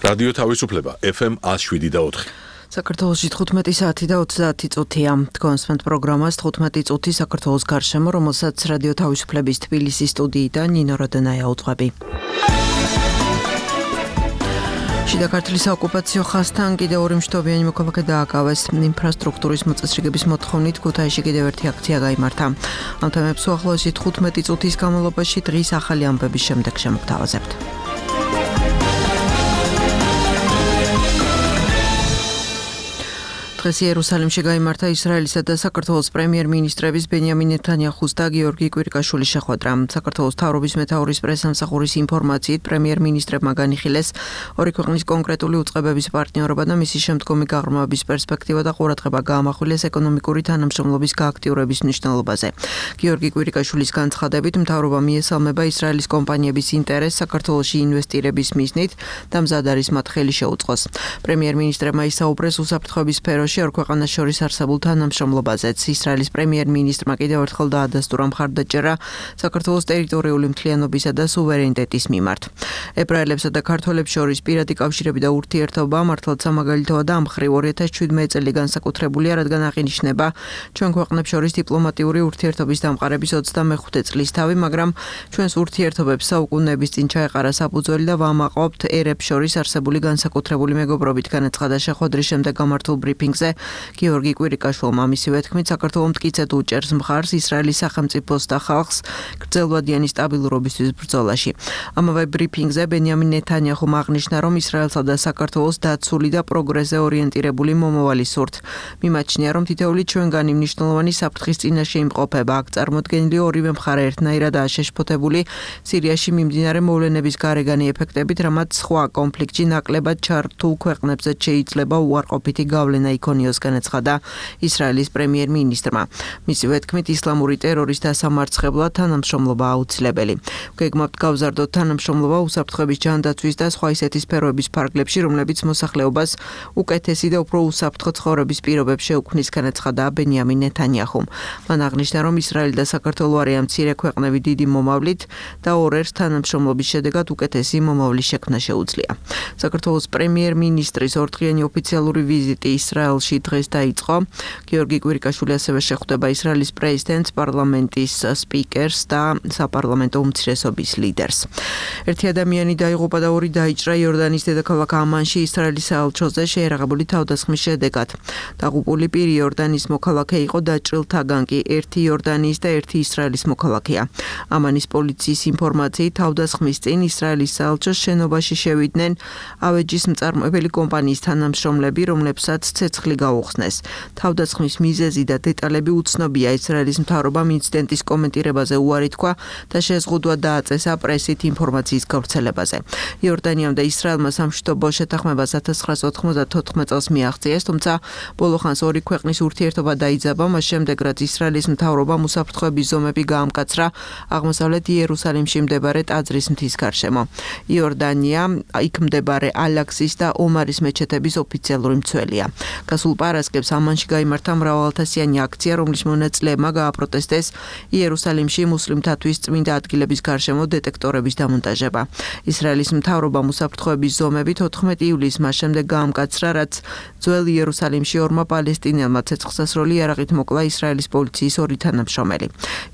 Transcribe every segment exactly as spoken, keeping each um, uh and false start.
რადიო თავისუფლება ეფ ემ one oh seven და four. საქართველოში თხუთმეტი საათი და ოცდაათი წუთია. თქვენსმენთ პროგრამას თხუთმეტი წუთი საქართველოს გარშემო, რომელსაც რადიო თავისუფლების თბილისის სტუდიიდან ნინო როდენაია უძღვები. შიდა ქართლის საოკუპაციო ხაზთან კიდევ ორი მშტობიანი მოქალაქე დააკავეს. ინფრასტრუქტურის მოწესრიგების მოთხოვნით ქუთაისში კიდევ ერთი აქცია გაიმართა. ამ თემებს უახლოესი თხუთმეტი წუთის განმავლობაში დღის ახალი ამბების შემდეგ შემოგთავაზებთ. დღეს იერუსალიმში გაიმართა ისრაელისა და საქართველოს პრემიერ-მინისტრების ბენიამინ ნეთანიაჰუს და გიორგი კვირიკაშვილის შეხვედრა. საქართველოს მთავრობის მეთაურის პრესსამსახურის ინფორმაციით პრემიერ-მინისტრებმა განიხილეს ორი ქვეყნის კონკრეტული უწყებების პარტნიორობა და მისი შემდგომი გაღრმავების პერსპექტივა და ყურადღება გაამახვილეს ეკონომიკური თანამშრომლობის გააქტიურების მნიშვნელობაზე. გიორგი კვირიკაშვილის განცხადებით, მთავრობა მიესალმება ისრაელის კომპანიების ინტერესს საქართველოში ინვესტირების მიზნით და მზად არის მათ ხელი შეუწყოს. პრემიერ-მინისტრებმა ისაუბრეს უსაფრთხოების სფეროში ორ ქვეყანას შორის არსებულ თანამშრომლობაზეც. ისრაელის პრემიერ-მინისტრმა კიდევ ერთხელ დაადასტურა მხარდაჭერა საქართველოს ტერიტორიული მთლიანობისა და სუვერენიტეტის მიმართ. ებრაელებსა და ქართველებს შორის პირადი კავშირები და ურთიერთობა მართლაც სამაგალითოა და ამ მხრივ ორი ათას შვიდმეტი წელი განსაკუთრებულია, რადგან აღინიშნება ჩვენ ქვეყნებს შორის დიპლომატიური ურთიერთობის დამყარების ოცდამეხუთე წლის თავი, მაგრამ ჩვენს ურთიერთობებს საუკუნეების წინ ჩაეყარა საფუძველი და ვამაყობთ ერებს შორის არსებული განსაკუთრებული მეგობრობით, განაცხადა შეხვედრის შემდეგ გამართულ ბრიფინგზე გიორგი კვირიკაშვილმა. მისივე თქმით, საქართველოს მტკიცედ უჭერს მხარს ისრაელის სახელმწიფოს და ხალხს გრძელვადიანი სტაბილურობისთვის ბრძოლაში. ამავე ბრიფინგზე ბენიამინ ნეთანიაჰუმ აღნიშნა, რომ ისრაელსა და საქართველოს დაცული და პროგრესზე ორიენტირებული მომავალი სურთ. მიმაჩნია, რომ თითოეული ჩვენგანი მნიშვნელოვანი საფრთხის წინაშე იმყოფება. აქ წარმოდგენილი ორივე მხარე ერთნაირადაა შეშფოთებული სირიაში მიმდინარე მოვლენების გარეგანი ეფექტებით, რამაც სხვა კონფლიქტში ნაკლებად ჩართულ ქვეყნებზე შეიძლება უარყოფითი გავლენა იქონიოს, განაცხადა ისრაელის პრემიერ-მინისტრმა. მისივე თქმით, ისლამური ტერორის დასამარცხებლად თანამშრომლობა აუცილებელი. გეგმავთ გავზარდოთ თანამშრომლობა უსაფრთხოების ჯანდაცვის და სხვა ისეთი სფეროების ფარგლებში, რომლებიც მოსახლეობას უკეთესი და უფრო უსაფრთხო ცხოვრების პირობებს შეუქმნის, განაცხადა ბენიამინ ნეთანიაჰუმ. მან აღნიშნა, რომ ისრაელი და საქართველო არიან მცირე ქვეყნები დიდი მომავლით და ორ ერთს თანამშრომლობის შედეგად უკეთესი მომავლის შექმნა შეუძლია. საქართველოს პრემიერ-მინისტრის ორდღიანი ოფიციალური ვიზიტი ისრაელში დღეს დაიწყო. გიორგი კვირიკაშვილი ასევე შეხვდება ისრაელის პრეზიდენტს, პარლამენტის სპიკერს და საპარლამენტო უმცირესობის ლიდერს. ერთი ადამიანი დაიღუპა და ორი დაიჭრა იორდანის დედაქალაქ ამანში ისრაელის საელჩოზე შეერაღებული თავდასხმის შედეგად. დაღუპული პირი იორდანის მოქალაქე იყო, დაჭრილთაგან კი ერთი იორდანიის და ერთი ისრაელის მოქალაქეა. ამანის პოლიციის ინფორმაციით თავდასხმის წინ ისრაელის საელჩოს შენობაში შევიდნენ ავეჯის მწარმოებელი კომპანიის თანამშრომლები, რომლებსაც ცეცხლი გაუხსნეს. თავდასხმის მიზეზი და დეტალები უცნობია. ისრაელის მთავრობამ ინციდენტის კომენტირებაზე უარი თქვა და შეზღუდვა დააწესა პრესით ინფორმაციის გავრცელებაზე. იორდანიამ და ისრაელმა სამშვიდობო შეთანხმებას ათას ცხრაასი ოთხმოცდათოთხმეტ წელს მიაღწიეს, თუმცა ბოლო ხანს ორი ქვეყნის ურთიერთობა დაიძაბა, მას შემდეგ რაც ისრაელის მთავრობამ უსაფრთხოების ზომები გაამკაცრა აღმოსავლეთ იერუსალიმში მდებარე ტაძრის მთის გარშემო. იორდანია იქ მდებარე ალაქსის და ომარის მეჩეთების ოფიციალური მცველია. გასულ პარასკევს ამანში გაიმართა მრავალათასიანი აქცია, რომლის მონაწილეებმა გააპროტესტეს იერუსალიმში მუსლიმთათვის წმინდა ადგილების გარშემო დეტექტორების დამონტაჟება. ისრაელის მთავრობამ უსაფრთხოების ზომებით ოთხმეტი ივლისს მას შემდეგ გაამკაცრა, რაც ძველ იერუსალიმში ორმა პალესტინელმა ცეცხლსასროლი იარაღით მოკლა ისრაელის პოლიციის ორი თანამშრომელი.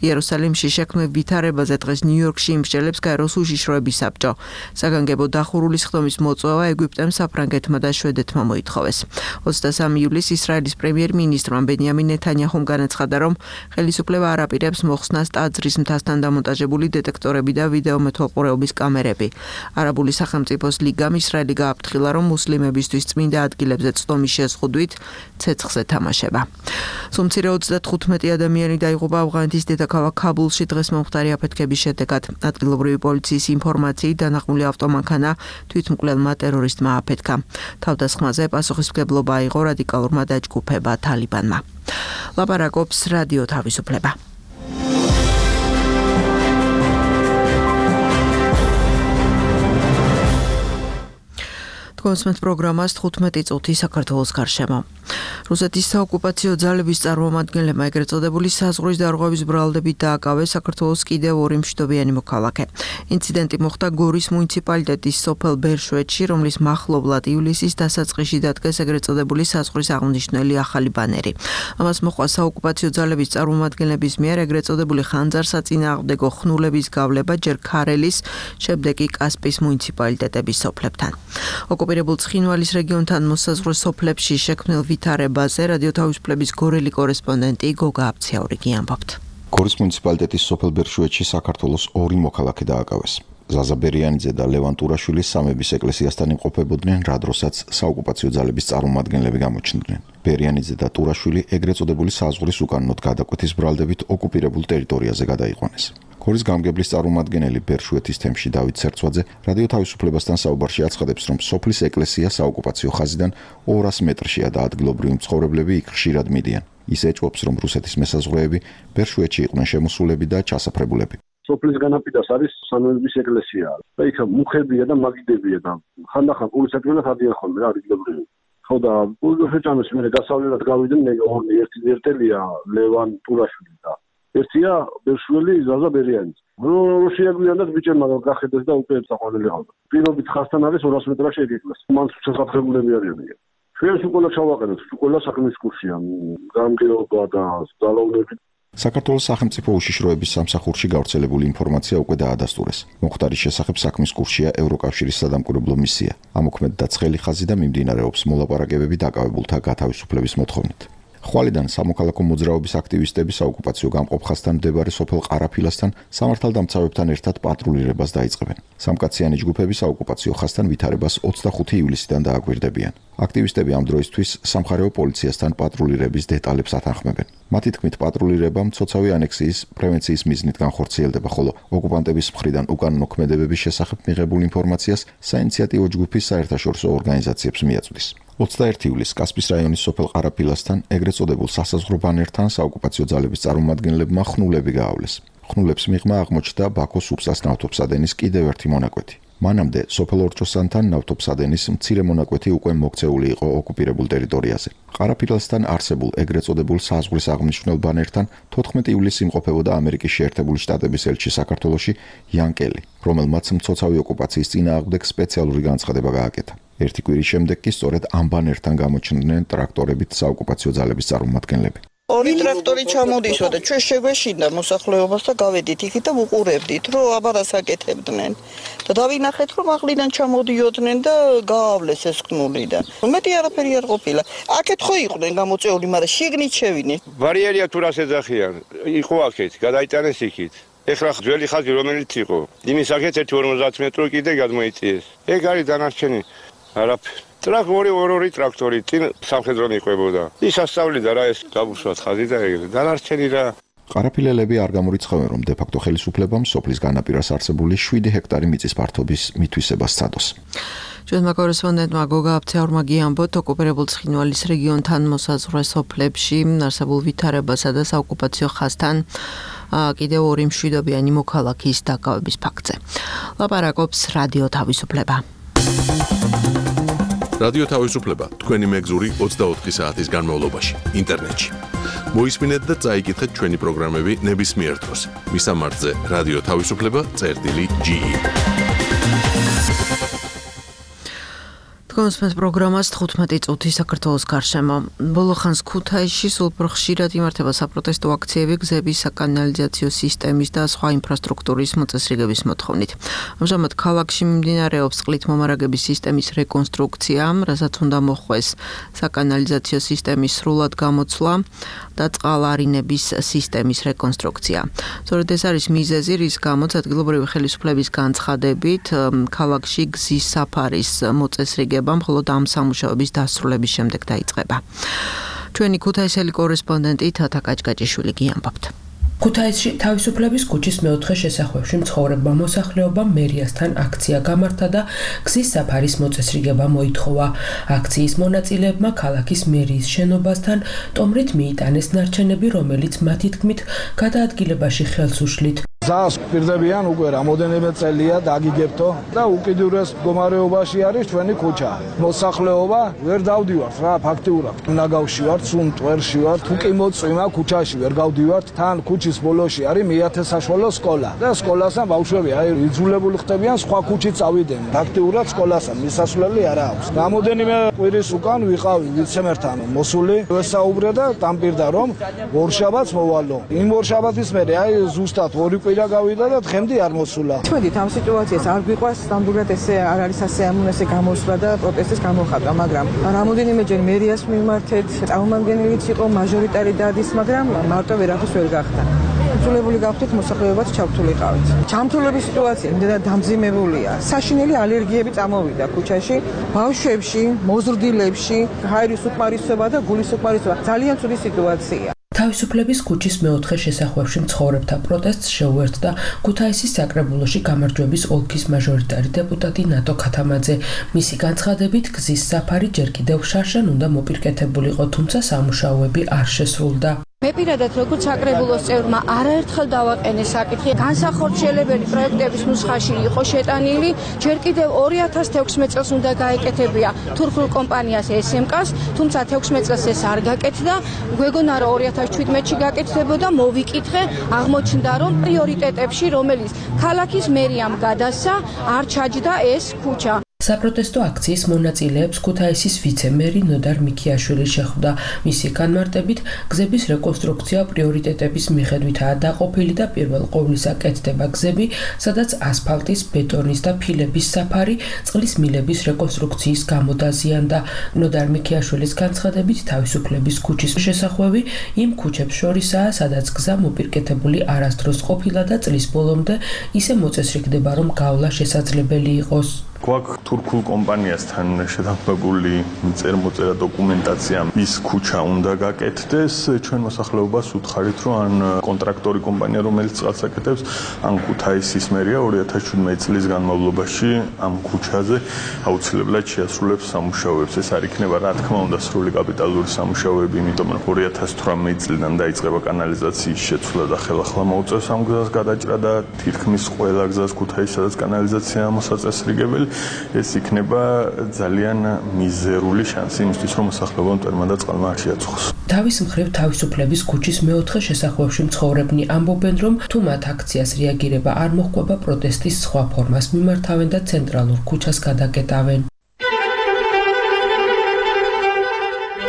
იერუსალიმში შექმნილ ვითარებაზე დღეს ნიუ-იორკში იმსჯელებს გაეროს უშიშროების საბჭო. საგანგებო დახურული სხდომის მოწვევა ეგვიპტემ, საფრანგეთმა და შვედეთმა მოითხოვეს. ოცდასამი ივლისს ისრაელის პრემიერ-მინისტრმა ბენიამინ ნეთანიაჰუმ განაცხადა, რომ ხელისუფლება არ აპირებს მოხსნას ტაძრის მთასთან დამონტაჟებული დეტექტორები და ვიდეო მეთვალყურეობის კამერები. არაბული სახელმწიფოს ლიგამ ისრაელი გააფრთხილა, რომ მუსლიმებისთვის წმინდა ადგილებზე წვდომის შეზღუდვით ცეცხლზე თამაშება. სულ ოცდათხუთმეტი ადამიანი დაიღუპა ავღანეთის დედაქალაქ ქაბულში დღეს მომხდარი აფეთქების შედეგად. ადგილობრივი პოლიციის ინფორმაციით დანახმული ავტომანქანა თვითმკვლელმა ტერორისტმა აფეთქა. თავდასხმაზე პასუხისმგებლობა აიღო რადიკალურმა დაჯგუფება თალიბანმა. ლაპარაკობს რადიო თავისუფლება. თქვენსმენთ პროგრამას თხუთმეტი წუთი საქართველოს გარშემო. რუსეთის საოკუპაციო ძალების წარმომადგენლებმა ეგრეთ წოდებული საზღვრის დარღვევის ბრალდებით დააკავეს საქართველოს კიდევ ორი მშვიდობიანი მოქალაქე. ინციდენტი მოხდა გორის მუნიციპალიტეტის სოფელ ბერშვეთში, რომლის მახლობლად ივლისის დასაწყისში დადგეს ეგრეთ წოდებული საზღვრის აღნიშნული ახალი ბანერი. ამას მოყვა საოკუპაციო ძალების წარმომადგენლების მიერ ეგრეთ წოდებული ხანძარსაწინააღმდეგო ხნულების გავლება ჯერ ქარელის, შემდეგ კი კასპიის მუნიციპალიტეტების სოფლებთან. ოკუპირებულ ცხინვალის რეგიონთან მოსაზღვრე სოფლებში შექმნილ ვითარებაზე რადიო თავისუფლების გორელი კორესპონდენტი გოგა აბციაურიგი ამბობთ. გორის მუნიციპალიტეტის სოფელ ბერშვეთში საქართველოს ორი მოქალაქე დააკავეს. ზაზა ბერიანიძე და ლევან ტურაშვილი სამების ეკლესიასთან იმყოფებოდნენ, რა დროსაც საოკუპაციო ძალების წარმომადგენლები გამოჩნდნენ. ბერიანიძე და ტურაშვილი ეგრეთ წოდებული საზღვრის უკანონოდ გადაკვეთის ბრალდებით ოკუპირებულ ტერიტორიაზე გადაიყვანეს. გორის გამგებლის წარმომადგენელი ბერშვეთის თემში დავით სერცვაძე რადიო თავისუფლებასთან საუბარში აცხადებს, რომ სოფლის ეკლესია საოკუპაციო ხაზიდან ორას მეტრშია და ადგილობრივი მცხოვრებლები იქ ხშირად მიდიან. ის ეჭვობს, რომ რუსეთის მესაზღვრეები ბერშვეთში იყვნენ შემოსულები და ჩასაფრებულები. სოფლის განაპირას არის სამების ეკლესია და იქ მუხებია და მაგიდებია და ხანდახან პოლიციასთან ადიან ხოლმე რა ადგილობრივი. ხო და პოლიციაშემოს მე გასავლელად გავიდნენ ორი ერთი ერთელია ლევან ტურაშვილი და ერთია ბერშველი ზაზა ბერიანიძე. რო შეაგვიანდა ბიჭებმა გახედეს და უკვე წაყვანილი ჰყავდა. პირობით ხასთან არის ორას მეტრში ეკეთეს. მან შესაძლებელები არიან. ჩვენ სულ ჩავაყენოთ, სულ საქმის კურსია, გამგეობა და ძალაუნები. საქართველოს სახელმწიფო უშიშროების სამსახურში გავრცელებული ინფორმაცია უკვე დაადასტურეს. მოხდარის შესახებ საქმის კურსია ევროკავშირის სადამკვირვებლო მისია. ამოქმედდა ცხელი ხაზი და მიმდინარეობს მოლაპარაკებები დაკავებულთა გათავისუფლების მოთხოვნით. ხვალიდან სამოქალაქო მოძრაობის აქტივისტები საოკუპაციო გამყოფ ხაზთან მდებარე სოფელ ყარაფილასთან სამართალდამცავებთან ერთად პატრულირებას დაიწყებენ. სამკაციანი ჯგუფები საოკუპაციო ხაზთან ვითარებას ოცდახუთი ივლისიდან დააკვირდებიან. აქტივისტები ამ დროისთვის სამხარეო პოლიციასთან პატრულირების დეტალებს ათანხმებენ. მათი თქმით, პატრულირება მცოცავი ანექსიის პრევენციის მიზნით განხორციელდება, ხოლო ოკუპანტების მხრიდან უკანონო ქმედებების შესახებ მიღებულ ინფორმაციას საინიციატივო ჯგუფის საერთაშორისო ორგანიზაციებს მიაწვდის. ოცდაერთი ივლისს კასპიის რაიონის სოფელ ყარაფილასთან ეგრეთ წოდებულ სასაზღვრო ბანერთან საოკუპაციო ძალების წარმომადგენლებმა ხნულები გაავლეს. ხნულებს მიღმა აღმოჩნდა ბაქოს უბსას ნავთობსადენის კიდევ ერთი მონაკვეთი. მანამდე სოფელ ორჭოსანთან ნავთობსადენის მცირე მონაკვეთი უკვე მოქცეული იყო ოკუპირებულ ტერიტორიაზე. ყარაფილასთან არსებულ ეგრეთ წოდებულ საზღვრის აღნიშნულ ბანერთან თოთხმეტი ივლისს იმყოფებოდა ამერიკის შეერთებული შტატების ელჩი საქართველოში იან კელი, რომელმაც მცოცავი ოკუპაციის წინააღმდეგ სპეციალური განცხადება გააკეთა. ერთი კვირის შემდეგ კი სწორედ ამ ბანერთან გამოჩნდნენ ტრაქტორებით საოკუპაციო ძალების წარმომადგენლები. ორი ტრაქტორი ჩამოდისო და ჩვენ შეგვეშინდა მოსახლეობას და გავედით იქით და ვუყურებდით, რომ აბარას აკეთებდნენ. და დავინახეთ, რომ ახლიდან ჩამოდიოდნენ და გაავლეს ეს ხნული და მეტი არაფერი არ ყოფილა. აქეთ ხო იყვნენ გამოწეული, მაგრამ შიგნით შევიდნენ. ბარიერია თუ რას ეძახიან, იყო აქეთ, გადაიტანეს იქით. ეხლა ძველი ხაზი რომელიც იყო, იმის აქეთ ერთი ორმოცდაათი მეტრი კიდე გადმოიწიეს. ეგ არის დანარჩენი არაფერი. ტრაქტორი ორი ტრაქტორი წინ სამხედრო მიყვებოდა. ის ასწავლიდა რა ეს გაბუშვათ ხაზი და ეგრე. დანარჩენი რა. ყარაფილელები არ გამორიცხავენ, რომ დე-ფაქტო ხელისუფლებამ სოფლის განაპირას არსებული შვიდი ჰექტარი მიწის ფართობის მითვისებას სცადოს. ჩვენმა კორესპონდენტმა გოგა აბციაურმა გიამბოთ, ოკუპირებულ ცხინვალის რეგიონთან მოსაზღვრე სოფლებში არსებულ ვითარებასა და საოკუპაციო ხაზთან კიდევ ორი მშვიდობიანი მოქალაქის დაკავების ფაქტზე. ლაპარაკობს რადიო თავისუფლება. რადიო თავისუფლება თქვენი მეგზური ოცდაოთხი საათის განმავლობაში ინტერნეტში. მოისმინეთ და წაიკითხეთ ჩვენი პროგრამები ნებისმიერ დროს. მისამართზე რადიო თავისუფლება წერტილი ჯი. თქვენს პროგრამას თხუთმეტი წუთი საქართველოს გარშემო. ბოლო ხანს ქუთაისში სულ უფრო ხშირად იმართება საპროტესტო აქციები გზების საკანალიზაციო სისტემის და სხვა ინფრასტრუქტურის მოწესრიგების მოთხოვნით. ამჟამად ქალაქში მიმდინარეობს წყლით მომარაგების სისტემის რეკონსტრუქცია, რასაც უნდა მოხდეს საკანალიზაციო სისტემის სრულად გამოცვლა და წყალარინების სისტემის რეკონსტრუქცია. სწორედ ეს არის მიზეზი, რის გამოც ადგილობრივი ხელისუფლების განცხადებით ქალაქში გზის საფარის მოწესრიგება მხოლოდ ამ სამუშაოების დასრულების შემდეგ დაიწყება. ჩვენი ქუთაისელი კორესპონდენტი თათა კაჭკაჭიშვილი გიამბობთ. ქუთაისში თავისუფლების ქუჩის მეოთხე შესახვევში მცხოვრებმა მოსახლეობამ მერიასთან აქცია გამართა და გზის საფარის მოწესრიგება მოითხოვა. აქციის მონაწილეებმა ქალაქის მერიის შენობასთან ტომრით მიიტანეს ნარჩენები, რომელიც მათი თქმით გადაადგილებაში ხელს უშლით. ზას პირდებიან უკვე რამოდენიმე წელია დაგიგებთო და უკიდურეს მდგომარეობაში არის ჩვენი ქუჩა. მოსახლეობა ვერ დავდივართ რა ფაქტიურად. უნდა გავშივართ, სულ მტვერში ვართ, თუ კი მოწვიმა ქუჩაში ვერ გავდივართ. თან ქუჩის ბოლოში არის მეათე საშუალო სკოლა და სკოლასთან ბავშვები აი იძულებული ხდებიან სხვა ქუჩით წავიდნენ. ფაქტიურად სკოლასთან მისასვლელი არ აქვს. რამოდენიმე კვირის უკან ვიყავი ვიცემერთან მოსული, ვესაუბრე და დამპირდა რომ ორშაბათს მოვალო. იმ ორშაბათის მერე აი ზუსტად ორი კვირა გავიდა და დღემდე არ მოსულა. ჩვენით ამ სიტუაციას არ გვიყვარს, ნამდვილად ესე არ არის ასე ამუნესე გამოსვლა და პროტესტის გამოხატვა, მაგრამ რამოდენიმეჯერ მერიას მიმართეთ, წარმომადგენელიც იყო მაჟორიტარი დადის, მაგრამ მარტო ვერაფერს ვერ გახდა. იძულებული გავხდით მოსახლეობაც ჩავთვლიყავით. ჩამთვლების სიტუაცია იმდენად დამძიმებულია. საშინელი ალერგიები წამოვიდა ქუჩაში, ბავშვებში, მოზრდილებში, ჰაერის უკმარისობა და გულის უკმარისობა. ძალიან ცუდი სიტუაცია. თავისუფლების ქუჩის მეოთხე შესახვევში მცხოვრებთა პროტესტს შეუერთდა ქუთაისის საკრებულოში გამარჯვების ოლქის მაჟორიტარი დეპუტატი ნატო ქათამაძე. მისი განცხადებით, გზის საფარი ჯერ კიდევ შარშან უნდა მოპირკეთებულიყო, თუმცა სამუშაოები არ შესრულდა. მე პირადად როგორც საკრებულოს წევრმა არაერთხელ დავაყენე საკითხი, განსახორციელებელი პროექტების ნუსხაში იყო შეტანილი, ჯერ კიდევ ორი ათას თექვსმეტ წელს უნდა გაეკეთებია თურქულ კომპანიას ეს ემ კას, თუმცა თექვსმეტ წელს ეს არ გაკეთდა, გვეგონა რომ ორი ათას შვიდმეტში გაკეთდებოდა, მოვიკითხე, აღმოჩნდა რომ პრიორიტეტებში, რომელიც ქალაქის მერიამ გადასცა, არ ჩაჯდა ეს ქუჩა. საპროტესტო აქციის მონაწილეებს ქუთაისის ვიცე-მერი ნოდარ მიქიაშვილი შეხვდა. მისი განმარტებით, გზების რეკონსტრუქცია პრიორიტეტების მიხედვითაა დაყოფილი და პირველ ყოვლისა კეთდება გზები, სადაც ასფალტის, ბეტონის და ფილების საფარი წყლის მილების რეკონსტრუქციის გამო დაზიანდა. ნოდარ მიქიაშვილის განცხადებით, თავისუფლების ქუჩის შესახვევი იმ ქუჩებს შორისაა, სადაც გზა მოპირკეთებული არასდროს ყოფილა და წლის ბოლომდე ისე მოწესრიგდება, რომ გავლა შესაძლებელი იყოს. გვაქვს თურქულ კომპანიასთან შეთანხმებული წერმოწერა დოკუმენტაცია, ის ქუჩა უნდა გაკეთდეს. ჩვენ მოსახლეობას უთხარით, რომ ან კონტრაქტორი კომპანია, რომელიც წყალს აკეთებს, ან ქუთაისის მერია ორი ათას შვიდმეტი წლის განმავლობაში ამ ქუჩაზე აუცილებლად შეასრულებს სამუშაოებს. ეს არ იქნება, რა თქმა უნდა, სრული კაპიტალური სამუშაოები, იმიტომ რომ ორი ათას თვრამეტი წლიდან დაიწყება კანალიზაციის შეცვლა და ხელახლა მოუწევს ამ გზას გადაჭრა და თითქმის ყველა გზას ქუთაისში, სადაც კანალიზაციაა მოსაწესრიგებელი. ეს იქნება ძალიან მიზერული შანსი იმისთვის, რომ მოსახლეობა მტერმა და წყალმა არ შეაწუხოს. თავის მხრივ თავისუფლების ქუჩის მეოთხე შესახვევში მცხოვრებნი ამბობენ, რომ თუ მათ აქციას რეაგირება არ მოჰყვება, პროტესტის სხვა ფორმას მიმართავენ და ცენტრალურ ქუჩას გადაკეტავენ.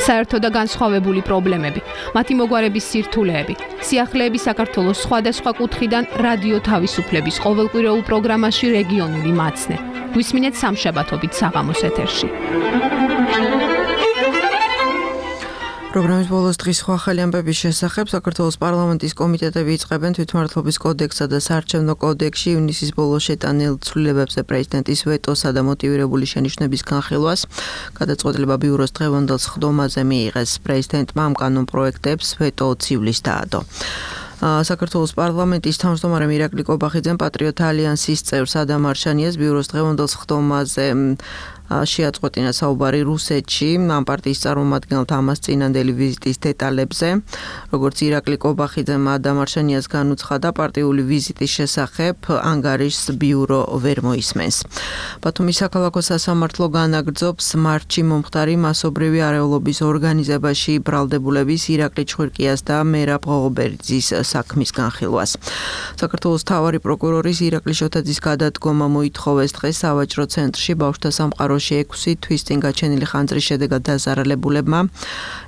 საერთო და განსხვავებული პრობლემები, მათი მოგვარების სირთულეები, სიახლეები საქართველოს სხვადასხვა კუთხიდან რადიო თავისუფლების ყოველკვირეულ პროგრამაში რეგიონული მაცნე. გვისმინეთ სამშაბათობით საღამოს ეთერში. პროგრამის ბოლოს დღის სხვა ახალი ამბების შესახებ საქართველოს პარლამენტის კომიტეტები იწყებენ თვითმმართველობის კოდექსსა და საარჩევნო კოდექსში ივნისის ბოლოს შეტანილ ცვლილებებზე პრეზიდენტის ვეტოსა და მოტივირებული შენიშვნების განხილვას. გადაწყვეტილება ბიუროს დღევანდელ სხდომაზე მიიღეს. პრეზიდენტმა ამ კანონპროექტებს ვეტო ცივლის დაადო. საქართველოს პარლამენტის თავმჯდომარე მირაკლი კობახიძემ პატრიოტ ალიანსის წევრ ადამ არშანიას ბიუროს დღევანდელ სხდომაზე შეაწყვეტინა საუბარი რუსეთში ამ პარტიის წარმომადგენელთა ამას წინანდელი ვიზიტის დეტალებზე. როგორც ირაკლი კობახიძემ ადამ არშანიას განუცხადა, პარტიული ვიზიტის შესახებ ანგარიშს ბიურო ვერ მოისმენს. ბათუმის საქალაქო სასამართლო განაგრძობს მარტში მომხდარი მასობრივი არეულობის ორგანიზებაში ბრალდებულების ირაკლი ჩხირკიას და მერაბ ღოღობერიძის საქმის განხილვას. საქართველოს მთავარი პროკურორის ირაკლი შოთაძის გადადგომა მოითხოვეს დღეს სავაჭრო ცენტრში ბავშვთა სამყარო ექვსი თვის წინ გაჩენილი ხანძრის შედეგად დაზარალებულებმა.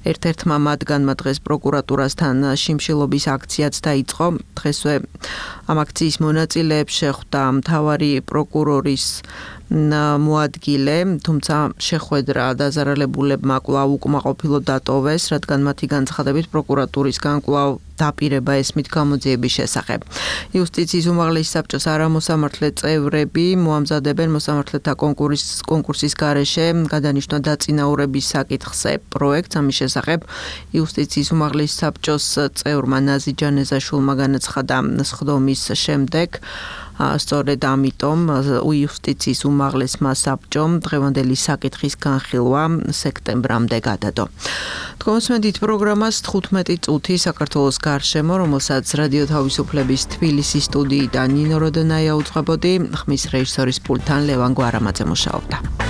ერთ-ერთმა მათგანმა დღეს პროკურატურასთან შიმშილობის აქციაც დაიწყო. დღესვე ამ აქციის მონაწილეებს შეხვდა მთავარი პროკურორის მოადგილე, თუმცა შეხვედრა დაზარალებულებმა კვლავ უკმაყოფილო დატოვეს, რადგან მათი განცხადებით პროკურატურისგან კვლავ დაპირება ესმით გამოძიების შესახებ. იუსტიციის უმაღლესი საბჭოს არამოსამართლე წევრები მოამზადებენ მოსამართლეთა კონკურსის კონკურსის გარეშე გადანიშნვა დაწინაურების საკითხზე პროექტს. ამის შესახებ იუსტიციის უმაღლესი საბჭოს წევრმა ნაზი ჯანეზაშვილმა განაცხადა სხდომის შემდეგ. სწორედ ამიტომ იუსტიციის უმაღლესმა საბჭომ დღევანდელი საკითხის განხილვა სექტემბრამდე გადადო. თქვენსმენთ პროგრამას თხუთმეტი წუთი საქართველოს გარშემო, რომელსაც რადიო თავისუფლების თბილისის სტუდიიდან ნინო როდონაია უძღვებოდი, ხმის რეჟისორის პულტთან ლევან გვარამაძე მუშაობდა.